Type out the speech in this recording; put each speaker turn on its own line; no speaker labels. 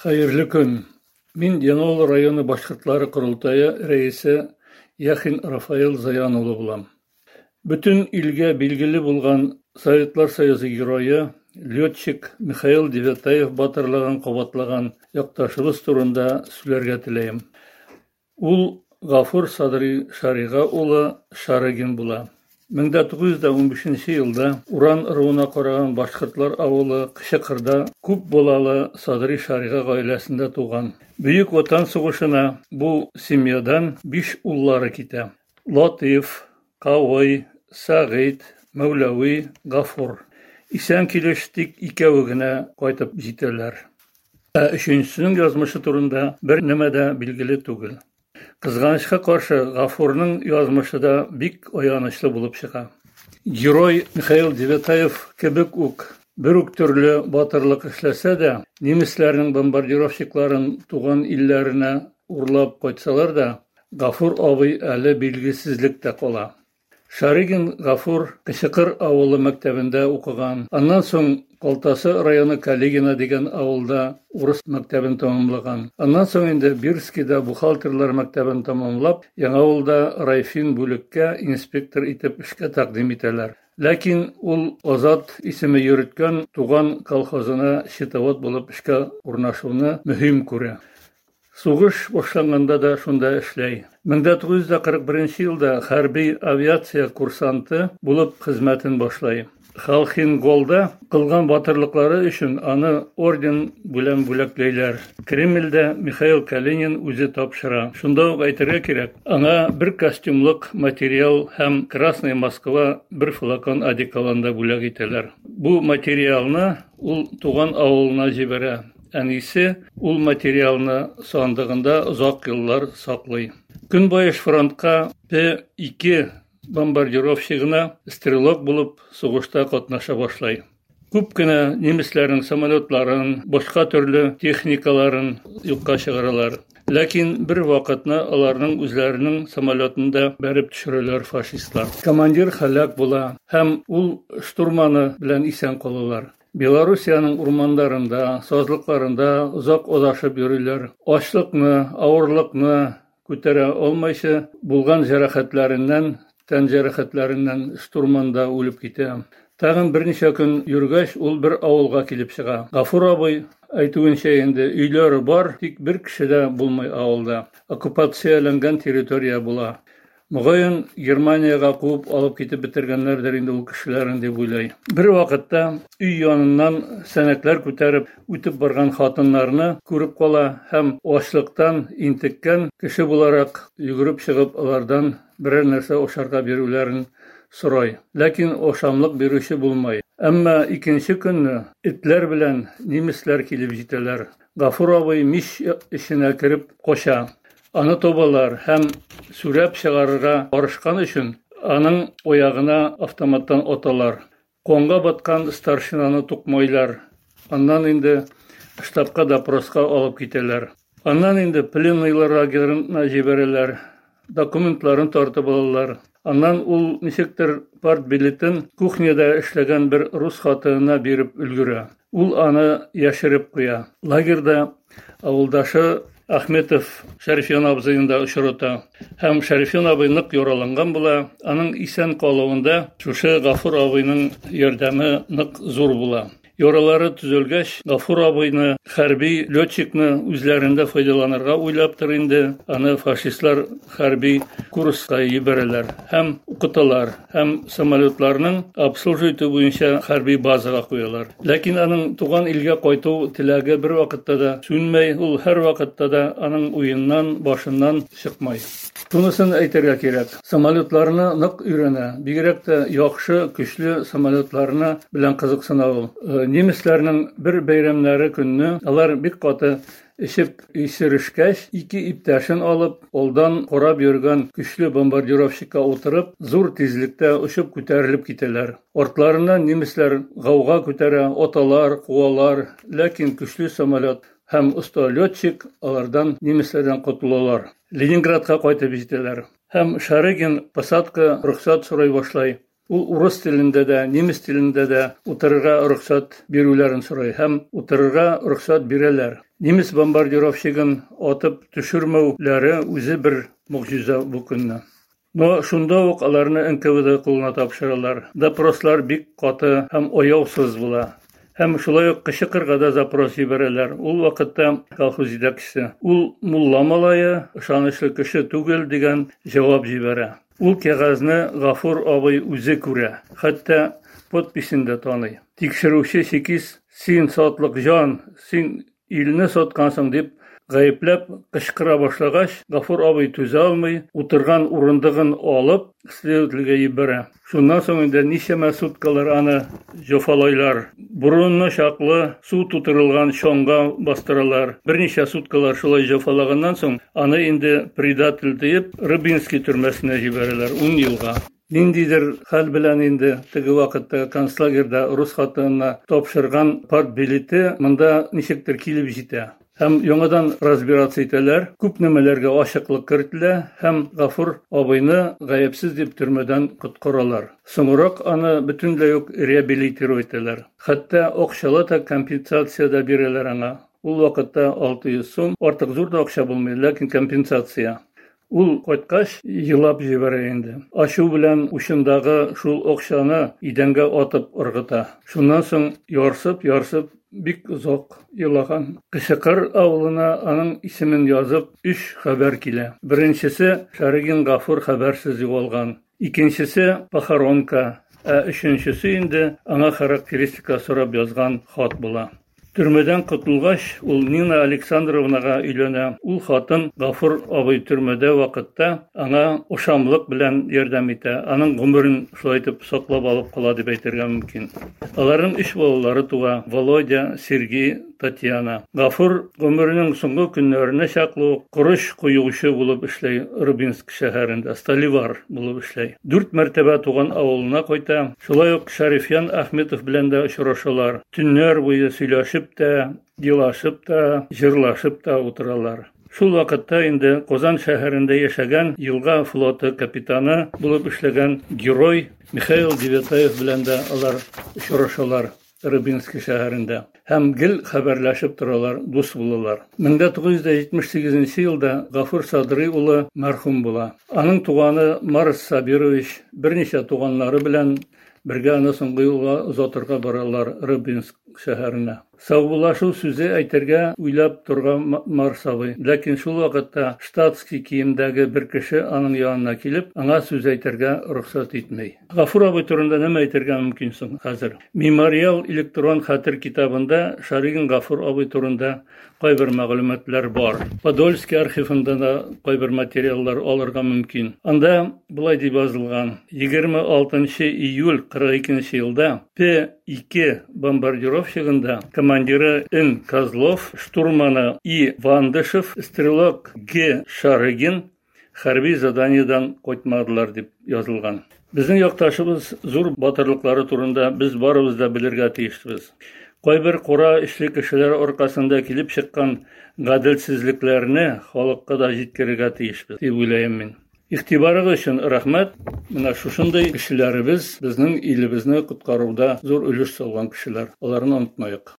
Хәерле көн! Мин Яңавыл районы башкортлары корылтае рәисе Яхин Рафаил Заян улы булам. Бөтен илгә билгеле булган Советлар Союзы герое, летчик Михаил Девятаев батырлыгын кабатлаган якташыбыз турында сөйләргә теләем. Ул Гафур Садри Шарига улы Шарыгин була. 1915 елда Уран ыруына караган башкортлар авылы Кычыкырда күп балалы Садри Шарига гаиләсендә туган. Бөек Ватан сугышына бу семьядан биш уллары китә. Латыйф, Кавый, Сәгыйть, Мәүләви, Гафур. Исән килеш тик икәве генә кайтып җитәләр. Ә өченчесенең язмышы турында бер нәмә дә билгеле түгел. Кызганычка каршы, Гафурның язмышы да бик аянычлы булып чыга. Герой Михаил Девятаев кебек үк бер үк төрле батырлык эшләсә дә, немецләрнең бомбардировщикларын туган илләренә урлап кайтсалар да, Гафур абый әле билгесезлектә кала. Шарыгин Гафур Кечекыр авылы мәктәбендә укыган. Аннан соң Калтасы районы Калигино дигән авылда урыс мәктәбен тәмамлаган. Аннан соң инде Бирскида бухгалтерлар мәктәбен тәмамлап, Яңавылда райфин бүлеккә инспектор итеп эшкә тәкъдим итәләр. Ләкин ул Азат исеме йөрткән туган колхозына счетовод булып эшкә урнашуны мөһим күрә. Сугыш башланганда да шунда эшләй. 1941 елда хәрби авиация курсанты булып хезмәтен башлай. Халхин-Голда кылган батырлыклары өчен аны орден белән бүләкләйләр. Кремльдә Михаил Калинин үзе тапшыра. Шунда ук әйтергә кирәк, аңа бер костюмлык материал һәм Красная Москва бер флакон одеколон да бүләк итәләр. Бу материалны ул туган авылына җибәрә. Әнисе ул материалны сандыгында озак еллар саклый. Көнбаеш фронтка П-2 бомбардировщигына стрелок булып сугышта катнаша башлый. Күп кенә немецләрнең самолетларын, башка төрле техникаларын юкка чыгаралар. Ләкин бер вакытны аларның үзләренең самолетын да бәреп төшерәләр фашистлар. Командир һәлак була һәм ул штурманы белән исән калалар. Белоруссиянең урманнарында, сазлыкларында озак адашып йөриләр. Ачлыкны, авырлыкны күтәрә алмыйча, булган җәрәхәтләреннән, тән җәрәхәтләреннән штурманда үлеп китә. Тагын берничә көн йөргәч, ул бер авылга килеп чыга. Гафур абый әйтүенчә инде, өйләре бар, тик бер кеше дә булмый авылда. Оккупацияләнгән территория була. Мөгаен, Германиягә куып алып китеп бетергәннәрдер инде ул кешеләрен дип уйлый. Бер вакытта өй яныннан сәнәкләр күтәреп үтеп барган хатыннарны күреп кала һәм ачлыктан интеккән кеше буларак йөгереп чыгып алардан берәр нәрсә ашарга бирүләрен сорай. Ләкин ашамлык бирүче булмай. Әмма икенче көнне этләр белән немецләр килеп җитәләр. Гафур абый мич эченә кереп кача. Аны табалар һәм сүрәп чыгарырга барышкан өчен аның аягына автоматтан аталар. Канга баткан старшинаны тукмайлар. Аннан инде штабка допроска алып китәләр. Аннан инде пленныйлар лагерына җибәрәләр. Документларын тартып алалар. Аннан ул ничектер партбилетын кухняда эшләгән бер рус хатынына биреп өлгерә. Ул аны яшереп куя. Лагерьда авылдашы Ахметов Шәрифҗан абзыйны да очрата. Һәм Шәрифҗан абый нык яраланган була. Аның исән калуында шушы Гафур абыйның ярдәме нык зур була. Яралары төзәлгәч, Гафур абыйны, хәрби летчикны үзләрендә файдаланырга уйлаптыр инде, аны фашистлар хәрби курска җибәрәләр һәм укыталар һәм самолетларның обслуживать итү буенча хәрби базага куялар. Ләкин аның туган илгә кайту теләге бервакытта да сүнмәй, ул һәрвакытта да аның уеннан, башыннан чыкмай. Шунысын әйтергә кирәк, самолетларны нык өйрәнә, бигрәк тә яхшы, көчле самолетларны белән кызыксына ул. Немецләрнең бер бәйрәмнәре көнне алар бик каты эчеп исерешкәч, ике иптәшен алып, алдан карап йөргән көчле бомбардировщикка утырып, зур тизлектә очып күтәрелеп китәләр. Артларыннан немецләр гауга күтәрә, аталар, куалар, ләкин көчле самолет һәм оста летчик алардан немецләрдән котылалар. Ленинградка кайтып җитәләр. Һәм Шарыгин посадка рөхсәт сорый башлый. Ул урыс телендә дә, немец телендә дә утырырга рөхсәт бирүләрен сорый һәм утырырга рөхсәт бирәләр. Немец бомбардировщигын атып төшермәүләре үзе бер могҗиза бу көнне. Но шунда ук аларны НКВД кулына тапшыралар. Допрослар бик каты һәм аяусыз була. Һәм шулай ук Кычыкырга да запрос җибәрәләр. Ул вакытта колхоз җитәкчесе, ул мулла малае, ышанычлы кеше түгел дигән җавап җибәрә. Ул кәгазьне Гафур абый үзе күрә, хәтта подписен дә таный. Тикшерүче чекист, син сатлык җан, син Илне саткансың дип гаепләп кычкыра башлагач, Гафур абый түзә алмый, утырган урындыгын алып, следовательгә җибәрә. Шуннан соң инде ничәмә суткалар аны җофалайлар. Борынына чаклы су тутырылган чанга бастыралар. Берничә суткалар шулай җофалаганнан соң, аны инде предатель диеп, Рыбинский төрмәсенә җибәрәләр 10 елга. Ниндидер хәл белән инде теге вакытта концлагерьда рус хатынына тапшырган партбилеты монда ничектер килеп җитә. Һәм яңадан разбираться итәләр, күп нәмәләргә ачыклык кертелә һәм Гафур абыйны гаепсез дип төрмәдән коткаралар. Соңрак аны бөтенләй үк реабилитировать итәләр. Хәтта акчалата компенсация дә бирәләр аңа. Ул вакытта 600 сум, артык зур да акча булмый, ләкин компенсация. Ул кайткач, елап җибәрә инде. Ачу белән учындагы шул акчаны идәнгә атып ыргыта. Шуннан соң ярсып-ярсып бик озак елаган. Кычыкыр авылына аның исемен язып өч хәбәр килә. Беренчесе, Шарыгин Гафур хәбәрсез югалган. Икенчесе, похоронка, ә өченчесе инде аңа характеристика сорап язган хат була. Төрмәдән котылгач, ул Нина Александровнага өйләнә. Ул хатын Гафур абый төрмәдә вакытта аңа ошамлык белән ярдәм итә. Аның гомерен шулай итеп саклап алып кала дип әйтергә мөмкин. Аларның өч балалары туа: Володя, Сергей, Татьяна. Гафур гомеренең соңгы көннәренә чаклы ук корыч коючы булып эшли Рыбинск шәһәрендә, столивар булып эшли. Дүрт мәртәбә туган авылына кайта. Шулай ук Шәрифҗан Ахметов белән дә очрашалар. Төннәр буе сөйләшеп тә, елашып та, җырлашып та утыралар. Шул вакытта инде Казан шәһәрендә яшәгән елга флоты капитаны булып эшләгән герой Михаил Девятаев белән дә алар очрашалар Рыбинский шәһәрендә һәм гел хәбәрләшеп торалар, дус булалар. 1978 елда Гафур Садрый улы мәрхүм була. Аның туганы Марс Сабирович берничә туганнары белән Бергә аны соңгы юлга озатырга баралар Рыбинск шәһәренә. Саубуллашу сүзе әйтергә уйлап торган Марс абый. Ләкин шул вакытта штатский киемдәге бер кеше аның янына килеп, аңа сүз әйтергә рөхсәт итми. Гафур абый турында нәмә әйтергә мөмкин соң хәзер? Мемориал электрон хәтер китабында Шаригин Гафур абый турында кайбер мәгълүматлар бар. Подольский архивында да кайбер материаллар алырга мөмкин. Анда болай дип язылган: 26 июль 42 елда П-2 бомбардировщигында командиры Н. Козлов, штурманы И. Вандышев, стрелок Г. Шарыгин хәрби заданиедан кайтмадылар дип язылган. Безнең якташыбыз зур батырлыклары турында без барыбыз да белергә тиешбез. Кайбер кара эчле кешеләр аркасында килеп чыккан гаделсезлекләрне халыкка да җиткерергә тиешбез, дип уйлыйм мин. Игътибарыгыз өчен рәхмәт. Менә шушындый кешеләребез безнең илебезне коткаруда зур өлеш салган кешеләр. Аларны онытмаек.